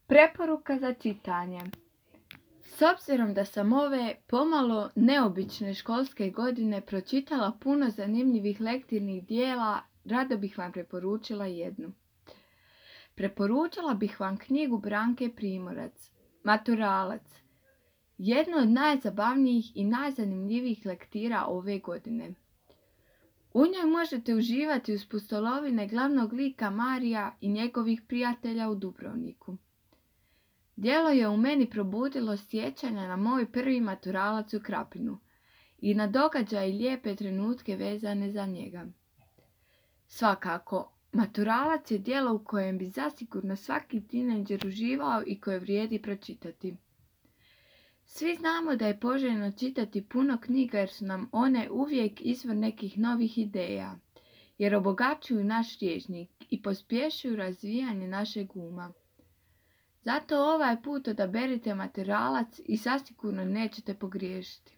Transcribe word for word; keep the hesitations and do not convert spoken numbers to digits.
Preporuka za čitanje. S obzirom da sam ove pomalo neobične školske godine pročitala puno zanimljivih lektirnih dijela, rado bih vam preporučila jednu. Preporučila bih vam knjigu Branke Primorac, Maturalac, jednu od najzabavnijih i najzanimljivijih lektira ove godine. U njoj možete uživati uz pustolovine glavnog lika Marija i njegovih prijatelja u Dubrovniku. Djelo je u meni probudilo sjećanja na moj prvi maturalac u Krapinu i na događaje i lijepe trenutke vezane za njega. Svakako, Maturalac je djelo u kojem bi zasigurno svaki tinejdžer uživao i koje vrijedi pročitati. Svi znamo da je poželjno čitati puno knjiga jer su nam one uvijek izvor nekih novih ideja, jer obogaćuju naš rječnik i pospješuju razvijanje našeg uma. Zato ovaj put odaberite Maturalac i zasigurno nećete pogriješiti.